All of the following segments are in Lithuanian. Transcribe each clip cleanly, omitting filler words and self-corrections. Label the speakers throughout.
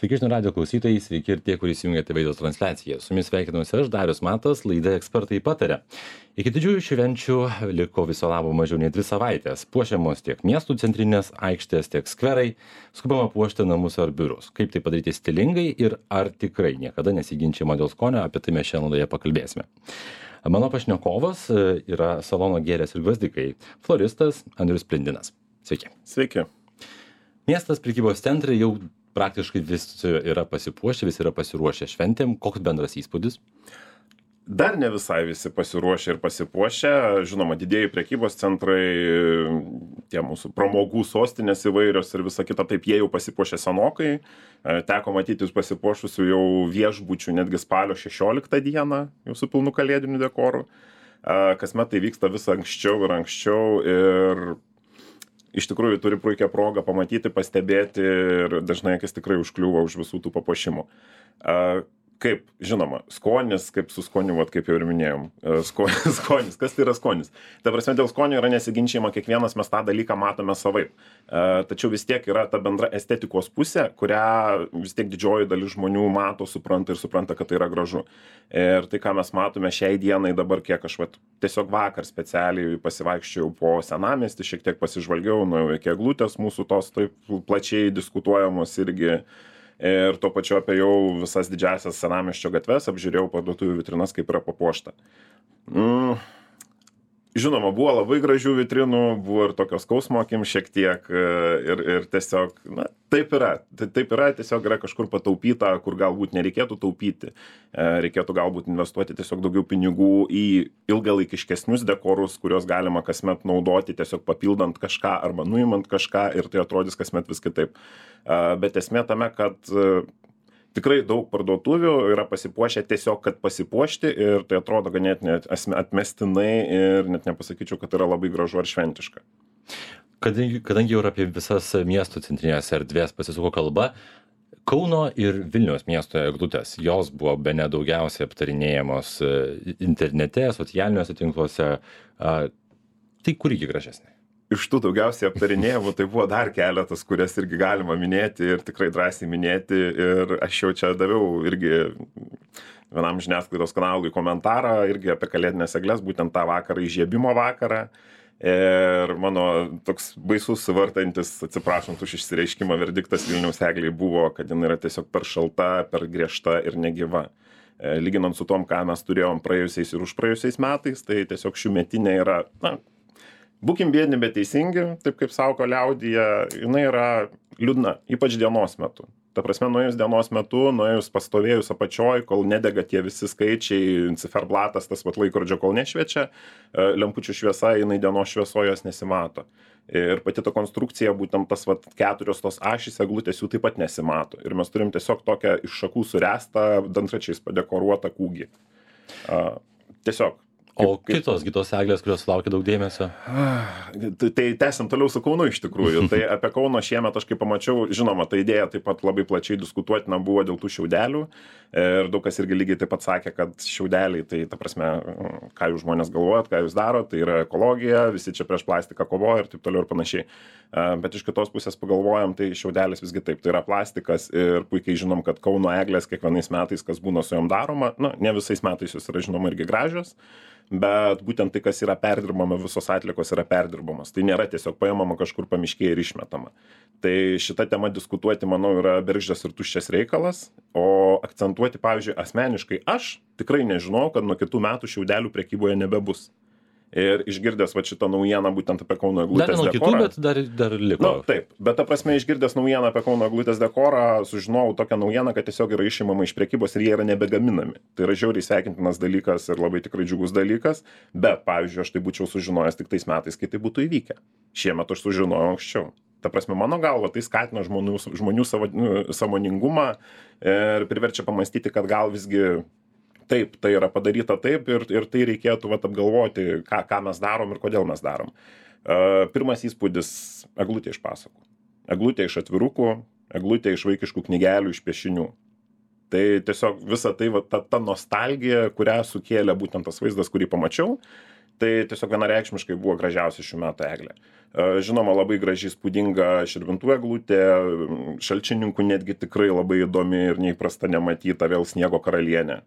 Speaker 1: Sveiki žinių radijo klausytojai, sveiki ir tie, kurie įsijungėte vaizdo transliaciją. Su jumis sveikinuosi aš, Darius Matas, laida Ekspertai pataria. Iki didžiųjų švenčių liko viso labo mažiau nei 2 savaitės. Puošiamos tiek miestų centrinės aikštės, tiek skverai, skubama puošti namus ar biurus. Kaip tai padaryti stilingai ir ar tikrai niekada nesiginčiama dėl skonio, apie tai mes šiandien laidoje pakalbėsime. Mano pašnekovas yra salono Gėlės ir gvazdikai floristas Andrius Plindinas. Sveiki.
Speaker 2: Sveiki.
Speaker 1: Miestas, prekybos centrai jau praktiškai visi yra pasipuošę, visi yra pasiruošę šventėm. Koks bendras įspūdis?
Speaker 2: Dar ne visai visi pasiruošę ir pasipuošę. Žinoma, didieji prekybos centrai, tie mūsų pramogų sostinės įvairios ir visa kita, taip jie jau pasipuošė senokai. Teko matyti pasipuošusių jau viešbučių netgi spalio 16 dieną, jau su pilnu kalėdiniu dekoru. Kasmet tai vyksta vis anksčiau ir iš tikrųjų turi puikią progą pamatyti, pastebėti ir dažnai akis tikrai užkliūva už visų tų papuošimų. Kaip, žinoma, skonis, kaip su skoniu, kaip jau ir minėjom. Skonis, kas tai yra skonis? Ta prasme, dėl skonio yra nesiginčiama, kiekvienas mes tą dalyką matome savaip. Tačiau vis tiek yra ta bendra estetikos pusė, kurią vis tiek didžioji dalis žmonių mato, supranta, kad tai yra gražu. Ir tai, ką mes matome šiai dienai dabar, kiek aš tiesiog vakar specialiai pasivaikščiau po senamiestį, šiek tiek pasižvalgiau, nuėjau iki eglutės mūsų tos taip plačiai diskutuojamos irgi. Ir tuo pačiu apie jau visas didžiasias senamiesčio gatves, apžiūrėjau parduotuvių vitrinas, kaip yra papuošta. Žinoma, buvo labai gražių vitrinų, buvo ir tokios skausmo akim šiek tiek ir tiesiog, taip yra. Taip yra, tiesiog yra kažkur pataupyta, kur galbūt nereikėtų taupyti. Reikėtų galbūt investuoti tiesiog daugiau pinigų į ilgalaikiškesnius dekorus, kuriuos galima kasmet naudoti, tiesiog papildant kažką arba nuimant kažką ir tai atrodys kasmet vis kitaip. Bet esmė tame, kad tikrai daug parduotuvių yra pasipuošę tiesiog, kad pasipuošti ir tai atrodo ganėtinai atmestinai ir net nepasakyčiau, kad yra labai gražu ar šventiška.
Speaker 1: Kadangi jau apie visas miestų centrinės erdvės pasisuko kalba, Kauno ir Vilniaus miesto eglutės, jos buvo bene daugiausiai aptarinėjamos internete, socialiniuose tinkluose. Tai kur iki gražesnė?
Speaker 2: Iš tų daugiausiai aptarinėjimų tai buvo dar keletas, kurias irgi galima minėti ir tikrai drąsiai minėti. Ir aš jau čia daviau irgi vienam žiniasklaidos kanalui komentarą irgi apie kalėdines egles, būtent tą vakarą, įžiebimo vakarą. Ir mano toks baisus vartantis, atsiprašant už išsireiškimą, verdiktas Vilniaus eglei buvo, kad jinai yra tiesiog per šalta, per griežta ir negyva. Lyginant su tom, ką mes turėjom praėjusiais ir užpraėjusiais metais, tai tiesiog šiųmetinė yra, būkim biedni, bet teisingi, taip kaip sako liaudyje, jinai yra liūdna, ypač dienos metu. Ta prasme, nuėjus dienos metu, nuėjus pastovėjus apačioj, kol nedega tie visi skaičiai, ciferblatas, tas laikrodžio, kol nešviečia, lempučių šviesa, jinai dienos šviesoje jos nesimato. Ir pati ta konstrukcija, būtent tas 4 tos ašys eglutės jų taip pat nesimato. Ir mes turim tiesiog tokią iš šakų suręstą, dantračiais padekoruotą kūgį. Tiesiog.
Speaker 1: O kitos eglės, kurios laukia daug dėmesio?
Speaker 2: Tai tęsim toliau su Kaunu iš tikrųjų. Tai apie Kauno šiemet aš kaip pamačiau, žinoma, ta idėja taip pat labai plačiai diskutuotina buvo dėl tų šiaudelių. Ir daug kas irgi lygiai taip pat sakė, kad šiaudeliai, tai ta prasme, ką jūs žmonės galvojat, ką jūs darot, tai yra ekologija, visi čia prieš plastiką kovoja ir taip toliau ir panašiai. Bet iš kitos pusės pagalvojam, tai šiaudelis visgi taip, tai yra plastikas ir puikiai žinom, kad Kauno eglės kiekvienais metais, kas būna su jom daroma, ne visais metais jos yra žinoma irgi gražios. Bet būtent tai, kas yra perdirbama, visos atliekos yra perdirbamos. Tai nėra tiesiog paimama kažkur pamiškėje ir išmetama. Tai šita tema diskutuoti, manau, yra bergždžias ir tuščias reikalas. O akcentuoti, pavyzdžiui, asmeniškai aš tikrai nežinau, kad nuo kitų metų šiaudelių prekyboje nebebus. Ir išgirdęs šitą naujieną būtent apie Kauno eglutės dekorą.
Speaker 1: Dar dar liko.
Speaker 2: Taip, bet ta prasme išgirdęs naujieną apie Kauno eglutės dekorą, sužinojau tokią naujieną, kad tiesiog yra išimama iš prekybos ir jie yra nebegaminami. Tai yra žiauriai sveikintinas dalykas ir labai tikrai džiugus dalykas, bet, pavyzdžiui, aš tai būčiau sužinojęs tik tais metais, kai tai būtų įvykę. Šiemet aš sužinojau anksčiau. Ta prasme, mano galva, tai skatina žmonių sąmoningumą ir priverčia pamastyti, kad gal visgi taip, tai yra padaryta taip ir tai reikėtų apgalvoti, ką mes darom ir kodėl mes darom. Pirmas įspūdis - eglutė iš pasakų. Eglutė iš atvirukų, eglutė iš vaikiškų knygelių, iš piešinių. Tai tiesiog visa tai, ta nostalgija, kurią sukėlė būtent tas vaizdas, kurį pamačiau, Tai tiesiog vienareikšmiškai buvo gražiausia šių metų eglė. Žinoma, labai gražiai spūdinga Širvintų eglutė, Šalčininkų netgi tikrai labai įdomi ir neįprasta nematyta, vėl sniego karalienė.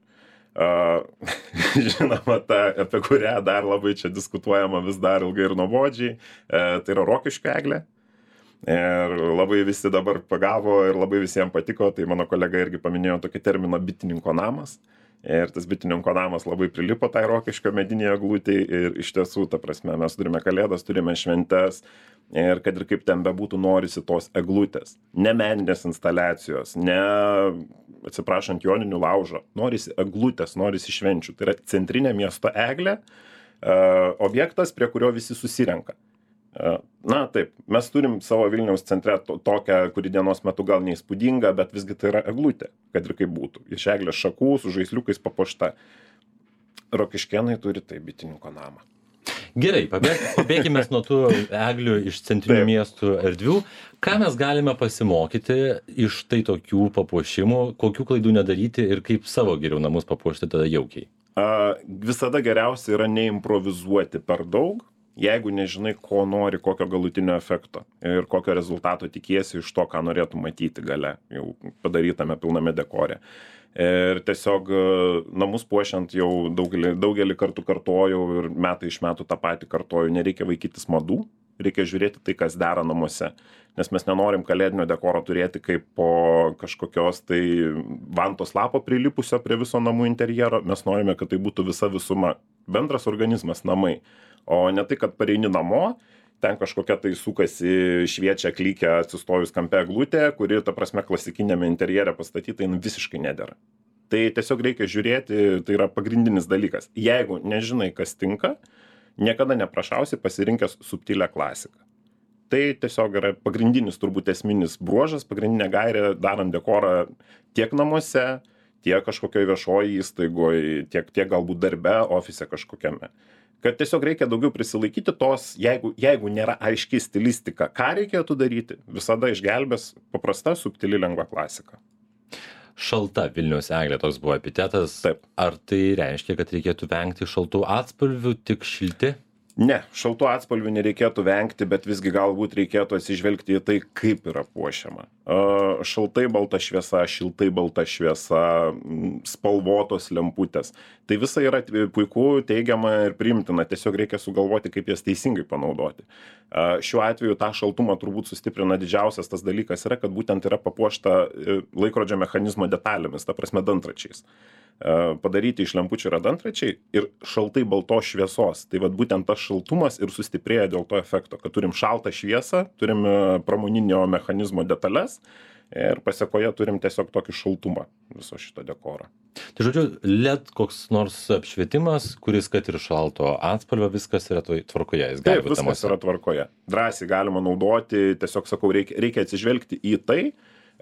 Speaker 2: Žinoma, ta, apie kurią dar labai čia diskutuojama vis dar ilgai ir nuobodžiai, tai yra Rokiškio eglė. Ir labai visi dabar pagavo ir labai visiems patiko, tai mano kolega irgi paminėjo tokį terminą bitininko namas. Ir tas bitininko namas labai prilipo tai Rokiškio medinėje eglutėje ir iš tiesų, ta prasme, mes turime kalėdas, turime šventes ir kad ir kaip ten bebūtų norisi tos eglutės, ne meninės instaliacijos, ne, atsiprašant, joninių laužo, norisi eglutės, norisi švenčių. Tai yra centrinė miesto eglė, objektas, prie kurio visi susirenka. Na taip, mes turim savo Vilniaus centre tokią, kuri dienos metu gal neįspūdinga, bet visgi tai yra eglutė, kad ir kaip būtų. Iš eglės šakų su žaisliukais papuošta. Rokiškėnai turi tai bitininko namą.
Speaker 1: Gerai, pabėkime nuo tų eglių iš centrinių miestų erdvių. Ką mes galime pasimokyti iš tai tokių papuošimų, kokių klaidų nedaryti ir kaip savo geriau namus papuošti tada jaukiai?
Speaker 2: Visada geriausia yra neimprovizuoti per daug. Jeigu nežinai, ko nori, kokio galutinio efekto ir kokio rezultato tikiesi iš to, ką norėtų matyti gale, jau padarytame pilname dekore. Ir tiesiog namus puošiant jau daugelį kartų kartojau ir metai iš metų tą patį kartoju, nereikia vaikytis madų, reikia žiūrėti tai, kas dera namuose. Nes mes nenorim kalėdinio dekoro turėti kaip po kažkokios tai vantos lapo prilipusio prie viso namų interjero, mes norime, kad tai būtų visa visuma, bendras organizmas, namai. O ne tai, kad pareini namo, ten kažkokia tai sukasi, šviečia, klykia, atsistojus kampe eglutė, kuri, ta prasme, klasikinėme interjere pastatyta, jin visiškai nedera. Tai tiesiog reikia žiūrėti, tai yra pagrindinis dalykas. Jeigu nežinai, kas tinka, niekada neprašausi pasirinkęs subtilę klasiką. Tai tiesiog yra pagrindinis, turbūt esminis bruožas, pagrindinė gairė, darant dekorą tiek namuose, tiek kažkokioje viešoje įstaigoje, tiek galbūt darbe, ofise kažkokiame. Kad tiesiog reikia daugiau prisilaikyti tos, jeigu nėra aiški stilistika, ką reikėtų daryti, visada išgelbės paprasta, subtili, lengva klasika.
Speaker 1: Šalta Vilniaus eglė, toks buvo epitetas.
Speaker 2: Taip.
Speaker 1: Ar tai reiškia, kad reikėtų vengti šaltų atspalvių, tik šilti?
Speaker 2: Ne, šaltų atspalvių nereikėtų vengti, bet visgi galbūt reikėtų atsižvelgti į tai, kaip yra puošiama. Šaltai balta šviesa, šiltai balta šviesa, spalvotos lemputės. Tai visa yra puiku, teigiama ir priimtina, tiesiog reikia sugalvoti, kaip jas teisingai panaudoti. Šiuo atveju tą šaltumą turbūt sustiprina didžiausias tas dalykas yra, kad būtent yra papuošta laikrodžio mechanizmo detalėmis, ta prasme dantračiais. Padaryti iš lempučių yra dantračiai ir šaltai baltos šviesos. Tai vat būtent tas šaltumas ir sustiprėja dėl to efekto, kad turim šaltą šviesą, turim pramoninio mechanizmo detalės ir pasekoje turim tiesiog tokį šaltumą viso šito dekoro.
Speaker 1: Tai žodžiu, LED koks nors apšvietimas, kuris kad ir šalto atspalvio, viskas yra tvarkoje.
Speaker 2: Taip, viskas yra tvarkoje. Drąsiai galima naudoti, tiesiog sakau, reikia atsižvelgti į tai,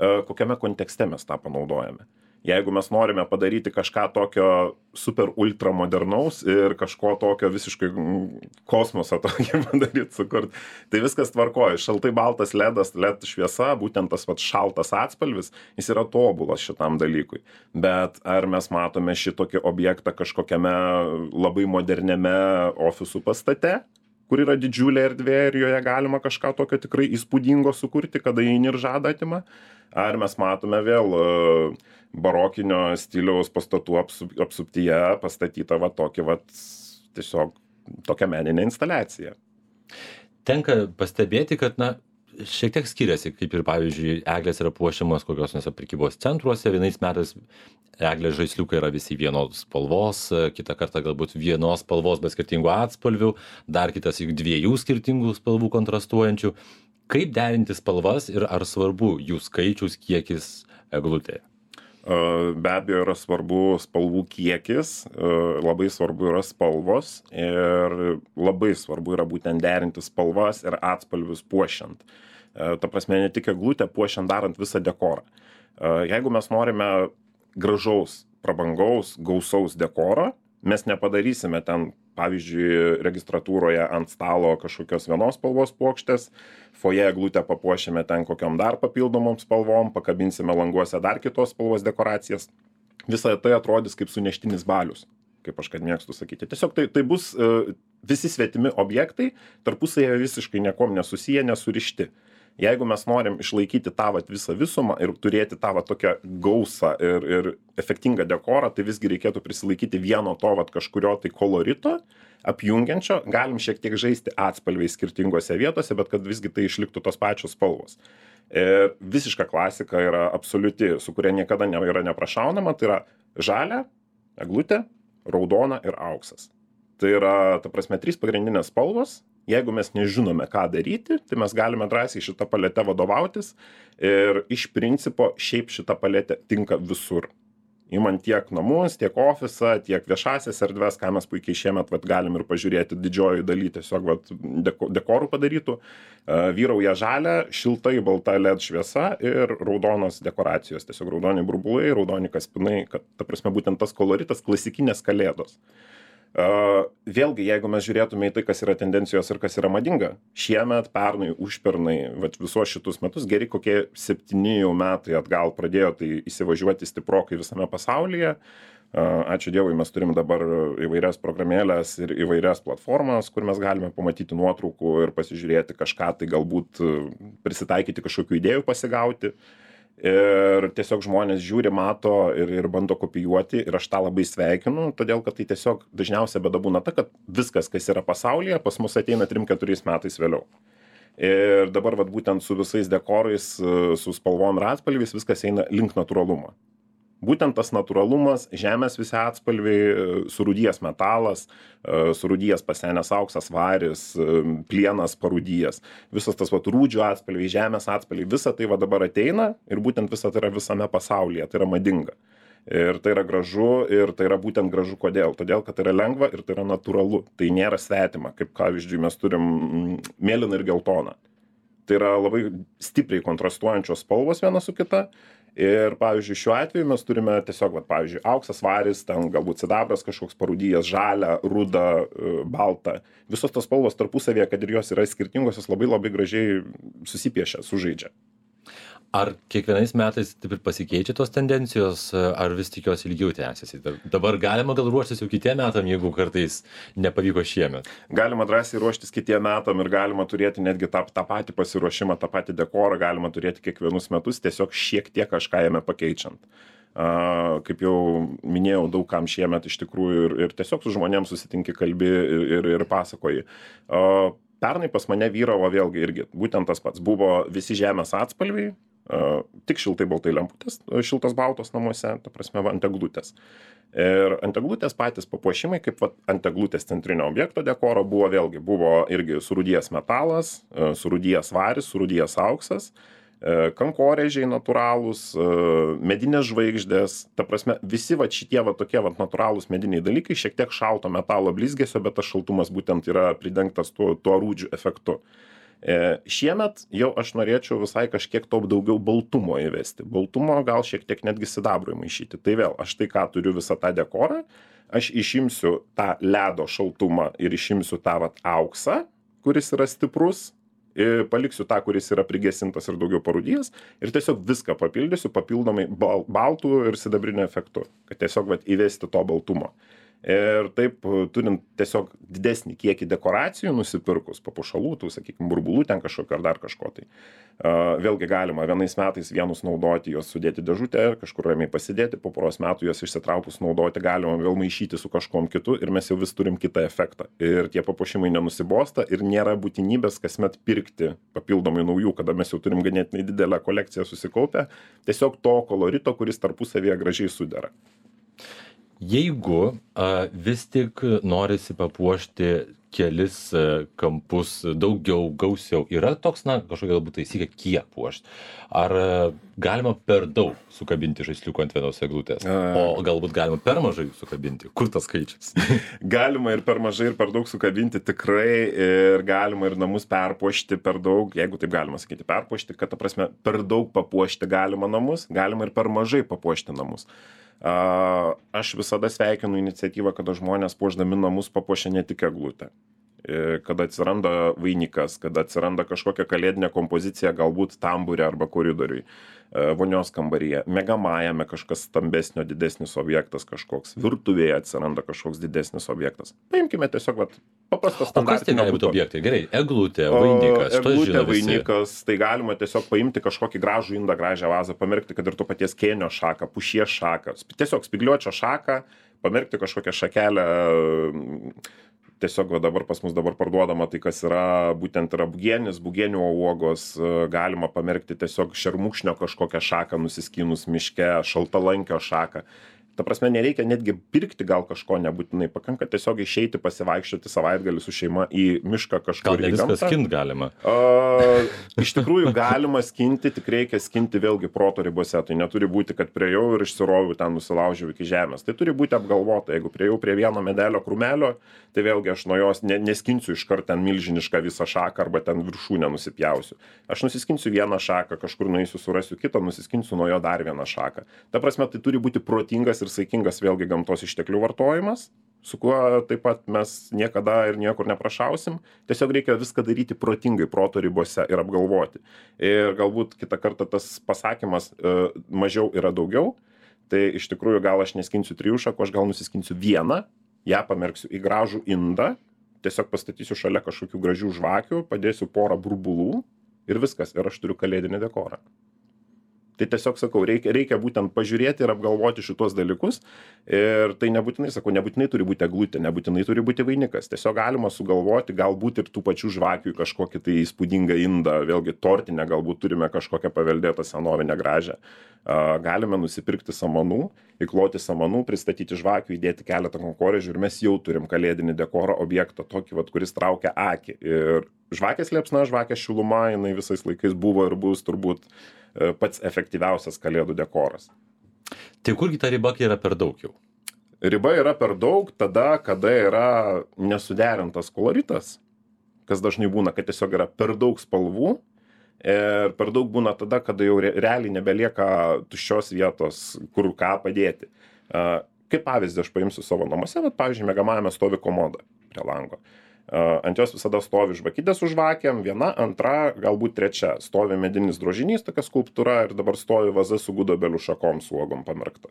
Speaker 2: kokiame kontekste mes tą panaudojame. Jeigu mes norime padaryti kažką tokio super ultra modernaus ir kažko tokio visiškai kosmoso tokį padaryti, sukurt, tai viskas tvarkoja. Šaltai baltas LED šviesa, būtent tas šaltas atspalvis, jis yra tobulas šitam dalykui. Bet ar mes matome šitokį objektą kažkokiame labai moderniame ofisų pastate, kur yra didžiulė erdvė ir joje galima kažką tokio tikrai įspūdingo sukurti, kada įeini ir žadą atima? Ar mes matome vėl barokinio stiliaus pastatų apsuptyje pastatytą tiesiog tokią meninę instaliaciją?
Speaker 1: Tenka pastebėti, kad šiek tiek skiriasi, kaip ir pavyzdžiui, eglės yra puošiamos kokios nors prekybos centruose, vienais metais eglės žaisliukai yra visi vienos spalvos, kitą kartą galbūt vienos spalvos, bet skirtingų atspalvių, dar kitas juk dviejų skirtingų spalvų kontrastuojančių. Kaip derinti spalvas ir ar svarbu jų skaičius, kiekis eglutėje?
Speaker 2: Be abejo yra svarbu spalvų kiekis, labai svarbu yra spalvos ir labai svarbu yra būtent derinti spalvas ir atspalvius puošiant. Ta prasme, ne tik eglutę puošiant, darant visą dekorą. Jeigu mes norime gražaus, prabangaus, gausaus dekoro, mes nepadarysime ten, pavyzdžiui, registratūroje ant stalo kažkokios vienos spalvos puokštės, foje eglutę papuošime ten kokiom dar papildomom spalvom, pakabinsime languose dar kitos spalvos dekoracijas. Visą tai atrodys kaip suneštinis balius. kaip aš kad mėgstu sakyti. Tiesiog tai bus visi svetimi objektai, tarpusavėje visiškai niekom nesusiję, nesurišti. Jeigu mes norim išlaikyti tą visą visumą ir turėti tą tokią gausą ir efektingą dekorą, tai visgi reikėtų prisilaikyti vieno to kažkurio tai kolorito, apjungiančio, galim šiek tiek žaisti atspalviais skirtingose vietose, bet kad visgi tai išliktų tos pačios spalvos. Ir visiška klasika yra absoliuti, su kuria niekada yra neprašaunama, tai yra žalia, eglutė, raudona ir auksas. Tai yra, ta prasme, 3 pagrindinės spalvos. Jeigu mes nežinome, ką daryti, tai mes galime drąsiai šitą paletę vadovautis ir iš principo šiaip šitą paletę tinka visur. Įmant tiek namus, tiek ofisą, tiek viešasias erdves, ką mes puikiai šiemet galim ir pažiūrėti didžioji daly tiesiog dekorų padarytų. Vyrauja žalia, šiltai balta LED šviesa ir raudonos dekoracijos. Tiesiog raudoni burbulai, raudoni kaspinai, kad ta prasme būtent tas koloritas klasikinės kalėdos. Vėlgi, jeigu mes žiūrėtume į tai, kas yra tendencijos ir kas yra madinga, šiemet, pernai, užpernai, visos šitus metus, geri kokie 7 metai atgal pradėjo tai įsivažiuoti stiprokai visame pasaulyje. Ačiū Dievui, mes turim dabar įvairias programėlės ir įvairias platformas, kur mes galime pamatyti nuotraukų ir pasižiūrėti kažką, tai galbūt prisitaikyti kažkokių idėjų pasigauti. Ir tiesiog žmonės žiūri, mato ir bando kopijuoti ir aš tą labai sveikinu, todėl kad tai tiesiog dažniausia bėda būna ta, kad viskas, kas yra pasaulyje, pas mus ateina 3-4 metais vėliau. Ir dabar būtent su visais dekorais, su spalvom ir atspalviais viskas eina link natūralumo. Būtent tas natūralumas, žemės visi atspalviai, surūdijęs metalas, surūdijęs pasenęs auksas, varis, plienas parūdijęs. Visas tas rūdžių atspalviai, žemės atspalviai, visa tai dabar ateina ir būtent visa tai yra visame pasaulyje, tai yra madinga. Ir tai yra gražu ir tai yra būtent gražu kodėl? Todėl, kad tai yra lengva ir tai yra natūralu. Tai nėra svetima, kaip pavyzdžiui mes turim mėlyną ir geltoną. Tai yra labai stipriai kontrastuojančios spalvos viena su kita. Ir, pavyzdžiui, šiuo atveju mes turime tiesiog, pavyzdžiui, auksas, varis, ten galbūt sidabras kažkoks parūdijęs, žalia, ruda, balta. Visos tos spalvos tarpusavėje, kad ir jos yra skirtingos, jos labai labai gražiai susipiešia, sužaidžia.
Speaker 1: Ar kiekvienais metais taip ir pasikeičia tos tendencijos, ar vis tik jos ilgiau tęsiasi? Dabar galima gal ruoštis jau kitiem metam, jeigu kartais nepavyko šiemet?
Speaker 2: Galima drąsiai ruoštis kitiem metam ir galima turėti netgi tą patį pasiruošimą, tą patį dekorą, galima turėti kiekvienus metus, tiesiog šiek tiek kažką jame pakeičiant. Kaip jau minėjau, daug kam šiemet iš tikrųjų ir tiesiog su žmonėms susitinki, kalbi ir pasakoji. Pernai pas mane vyravo vėlgi irgi, būtent tas pats, buvo visi žemės atspalviai, tik šiltai baltai lemputės, šiltas baltos namuose, ta prasme, ant eglutės. Ir ant eglutės patys papuošimai, kaip ant eglutės centrinio objekto dekoro buvo irgi surūdijęs metalas, surūdijęs varis, surūdijęs auksas, kankorėžiai natūralūs, medinės žvaigždės, ta prasme, visi šitie tokie natūralūs mediniai dalykai, šiek tiek šalto metalo blizgesio, bet tas šaltumas būtent yra pridengtas tuo rūdžių efektu. Šiemet jau aš norėčiau visai kažkiek to daugiau baltumo įvesti. Baltumo gal šiek tiek netgi sidabrui maišyti. Tai vėl, aš tai ką turiu visą tą dekorą, aš išimsiu tą ledo šaltumą ir išimsiu tą auksą, kuris yra stiprus, ir paliksiu tą, kuris yra prigesintas ir daugiau parūdijęs ir tiesiog viską papildysiu papildomai baltų ir sidabrinio efektu, kad tiesiog įvesti to baltumo. Ir taip, turint tiesiog didesnį kiekį dekoracijų nusipirkus, papuošalų, tų, sakykime, burbulų ten kažkokio ar dar kažko tai. Vėlgi galima vienais metais vienus naudoti, juos sudėti dėžutę, kažkur ramiai pasidėti, po poros metų juos išsitraukus naudoti, galima vėl maišyti su kažkom kitu ir mes jau vis turim kitą efektą. Ir tie papuošimai nenusibosta ir nėra būtinybės kasmet pirkti papildomai naujų, kada mes jau turim ganėtinai didelę kolekciją susikaupę, tiesiog to kolorito, kuris tarpusavėje gražiai sudera.
Speaker 1: Jeigu vis tik norisi papuošti kelis kampus daugiau, gausiau, yra toks, kažkokia galbūt taisyklė, kiek puošti? Ar galima per daug sukabinti žaisliukų ant vienos eglutės? O galbūt galima per mažai sukabinti? Kur tas skaičius?
Speaker 2: Galima ir per mažai, ir per daug sukabinti tikrai, ir galima ir namus perpuošti per daug, jeigu taip galima sakyti, perpuošti, kad, ta prasme, per daug papuošti galima namus, galima ir per mažai papuošti namus. Aš visada sveikinu iniciatyvą, kada žmonės puošdami namus papuošia ne tik eglutę. kada atsiranda vainikas, kada atsiranda kažkokia kalėdinė kompozicija, galbūt tambūre arba koridoriui, vonios kambaryje, miegamajame kažkas stambesnio, didesnis objektas kažkoks, virtuvėje atsiranda kažkoks didesnis objektas. Paimkime tiesiog paprastas standartinio.
Speaker 1: O kas tai gali būti objektai? Gerai, eglutė, vainikas,
Speaker 2: eglutė, vainikas, tai galima tiesiog paimti kažkokį gražų indą, gražią vazą, pamerkti, kad ir to paties kėnio šaką, pušies šaką, tiesiog spygliuočio šaką, pamerkti kažkokią šakelę. Tiesiog dabar pas mus dabar parduodama tai, kas yra, būtent yra bugienis, bugienio uogos, galima pamerkti tiesiog šermukšnio kažkokią šaką nusiskynus miške, šaltalankio šaką. Ta prasme, nereikia netgi pirkti gal kažko nebūtinai, pakanka tiesiog išeiti pasivaikščioti savaitgalį su šeima į mišką kažkur į gamtą.
Speaker 1: Gal viską skint galima?
Speaker 2: Iš tikrųjų galima skinti, tik reikia skinti vėlgi proto ribose. Tai neturi būti, kad priejau ir išsiroviu ten nusilaužiau iki žemės. Tai turi būti apgalvota. Jeigu priejau prie vieno medelio krūmelio, tai vėlgi aš nuo jos neskinsiu iškart ten milžinišką visą šaką arba ten viršūnę nusipjausiu. Aš nusiskinsiu vieną šaką, kažkur nueisiu, surasiu kitą, nusiskinsiu nuo jo dar vieną šaką. Ta prasme, tai turi būti protingas ir saikingas vėlgi gamtos išteklių vartojimas, su kuo taip pat mes niekada ir niekur neprašausim. Tiesiog reikia viską daryti protingai, proto ribose ir apgalvoti. Ir galbūt kitą kartą tas pasakymas mažiau yra daugiau, tai iš tikrųjų gal aš neskinsiu 3 šakų, aš gal nusiskinsiu vieną, ją pamerksiu į gražų indą, tiesiog pastatysiu šalia kažkokių gražių žvakių, padėsiu porą burbulų ir viskas, ir aš turiu kalėdinį dekorą. Tai tiesiog sakau, reikia būtent pažiūrėti ir apgalvoti šitos dalykus. Ir tai nebūtinai, nebūtinai turi būti eglutė, nebūtinai turi būti vainikas. Tiesiog galima sugalvoti, galbūt ir tų pačių žvakių kažkokį tai įspūdingą indą, vėlgi tortinę, galbūt turime kažkokią paveldėtą senovinę gražią. Galime nusipirkti samanų, įkloti samanų, pristatyti žvakių, įdėti keletą kankorėžių ir mes jau turim kalėdinį dekorą objektą, tokį, kuris traukia akį. Ir žvakės liepsna, žvakės šiluma, jinai visais laikais buvo ir bus turbūt pats efektyviausias kalėdų dekoras.
Speaker 1: Tai kurgi ta riba yra per daug jau?
Speaker 2: Riba yra per daug tada, kada yra nesuderintas koloritas, kas dažnai būna, kad tiesiog yra per daug spalvų ir per daug būna tada, kada jau realiai nebelieka tuščios vietos, kur ką padėti. Kaip pavyzdį aš paimsiu savo namuose, bet pavyzdžiui, miegamajame stovi komoda prie lango. Ant jos visada stovi žvakidė su žvakėm, viena, antra, galbūt trečia. Stovi medinis drožinys, tokia skulptūra ir dabar stovi vaza su gudobelių šakom su uogom pamerkta.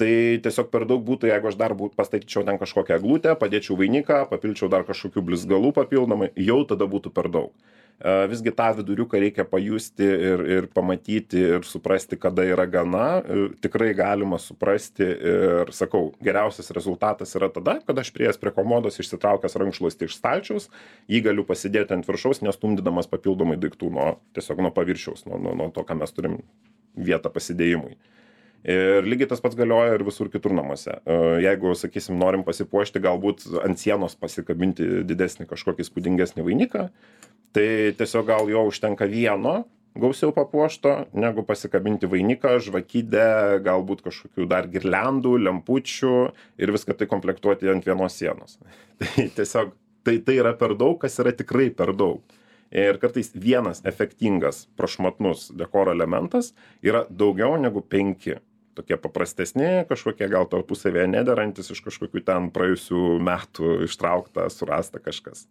Speaker 2: Tai tiesiog per daug būtų, jeigu aš dar pastatyčiau ten kažkokią eglutę, padėčiau vainiką, papilčiau dar kažkokių blizgalų papildomai, jau tada būtų per daug. Visgi tą viduriuką reikia pajusti ir pamatyti ir suprasti, kada yra gana. Tikrai galima suprasti ir sakau, geriausias rezultatas yra tada, kada aš priėjęs prie komodos išsitraukęs rankšluostį iš stalčiaus, jį galiu pasidėti ant viršaus, nestumdydamas papildomai daiktų tiesiog nuo paviršiaus, nuo to, ką mes turim vietą pasidėjimui. Ir lygiai tas pats galioja ir visur kitur namuose. Jeigu, sakysim, norim pasipuošti, galbūt ant sienos pasikabinti didesnį kažkokį įspūdingesnį vainiką, tai tiesiog gal jo užtenka vieno gausiau papuošto, negu pasikabinti vainiką, žvakidę, galbūt kažkokių dar girliandų, lempučių ir viską tai komplektuoti ant vienos sienos. Tai tiesiog tai yra per daug, kas yra tikrai per daug. Ir kartais vienas efektingas, prašmatnus dekoro elementas yra daugiau negu 5. Tokie paprastesni, kažkokie gal tarpusavėje nederantis iš kažkokių ten praėjusių metų ištraukta, surasta kažkas.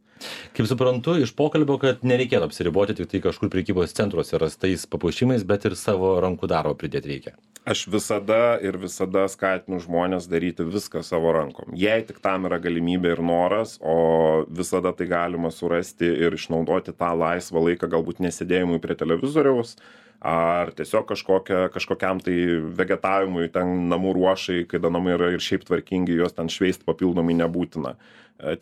Speaker 1: Kaip suprantu, iš pokalbio, kad nereikėtų apsiriboti tik tai kažkur prekybos centruose rastais papuošimais, bet ir savo rankų darbo pridėti reikia.
Speaker 2: Aš visada skatinu žmonės daryti viską savo rankom. Jei tik tam yra galimybė ir noras, o visada tai galima surasti ir išnaudoti tą laisvą laiką, galbūt nesėdėjimui prie televizoriaus, ar tiesiog kažkokiam tai vegetavimui, ten namų ruošai, kai namai yra ir šiaip tvarkingi, juos ten šveisti papildomai nebūtina.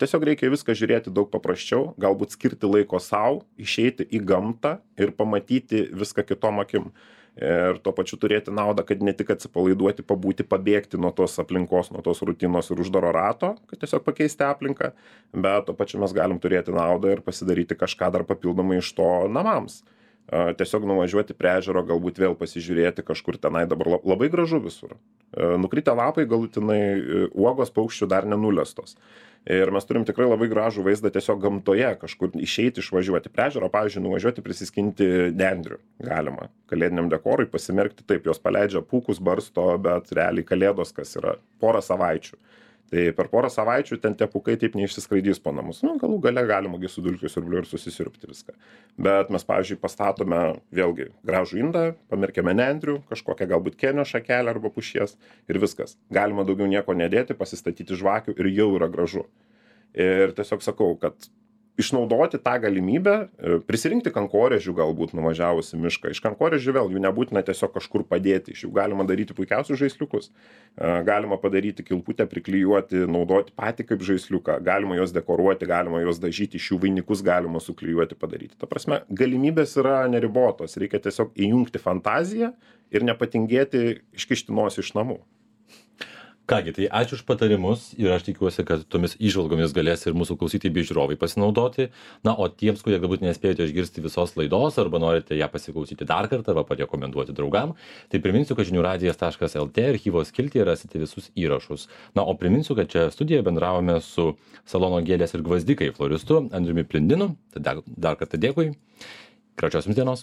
Speaker 2: Tiesiog reikia viską žiūrėti daug paprasčiau, galbūt skirti laiko savo, išeiti į gamtą ir pamatyti viską kitom akim. Ir tuo pačiu turėti naudą, kad ne tik atsipalaiduoti, pabūti, pabėgti nuo tos aplinkos, nuo tos rutinos ir uždaro rato, kad tiesiog pakeisti aplinką, bet tuo pačiu mes galim turėti naudą ir pasidaryti kažką dar papildomai iš to namams. Tiesiog nuvažiuoti prie ežero, galbūt vėl pasižiūrėti kažkur tenai, dabar labai gražu visur. Nukritę lapai galutinai, uogos paukščių dar nenulestos. Ir mes turim tikrai labai gražų vaizdą tiesiog gamtoje, kažkur išeiti, išvažiuoti prie ežero, pavyzdžiui, nuvažiuoti prisiskinti nendrių galima. Kalėdiniam dekorui pasimerkti, taip, jos paleidžia pūkus, barsto, bet realiai kalėdos, kas yra porą savaičių. Tai per porą savaičių ten tie pūkai taip neišsiskraidys po namus. Nu, galų gale galima gi su dulkių siurbliu ir susisiurbti viską. Bet mes, pavyzdžiui, pastatome vėlgi gražų indą, pamerkėme nendrių, kažkokią galbūt kenio šakelę arba pušies ir viskas. Galima daugiau nieko nedėti, pasistatyti žvakių ir jau yra gražu. Ir tiesiog sakau, kad išnaudoti tą galimybę, prisirinkti kankorėžių galbūt nuvažiavus į mišką. Iš kankorėžių vėl jų nebūtina tiesiog kažkur padėti, iš jų galima daryti puikiausius žaisliukus. Galima padaryti kilputę, priklijuoti, naudoti patį kaip žaisliuką, galima juos dekoruoti, galima juos dažyti, iš jų vainikus galima suklijuoti, padaryti. Ta prasme, galimybės yra neribotos, reikia tiesiog įjungti fantaziją ir nepatingėti iškišti nosį iš namų.
Speaker 1: Kągi, tai ačiū už patarimus ir aš tikiuosi, kad tomis įžvalgomis galės ir mūsų klausytojai bei žiūrovai pasinaudoti. Na, o tiems, kurie galbūt nespėjote išgirsti visos laidos arba norite ją pasiklausyti dar kartą arba parekomenduoti draugam, tai priminsiu, kad žiniųradijas.lt archyvo skiltyje rasite visus įrašus. Na, o priminsiu, kad čia studijoje bendravome su salono Gėlės ir gvazdikai floristu Andriumi Plindinu. Tai dar kartą dėkui. Gražios jums dienos.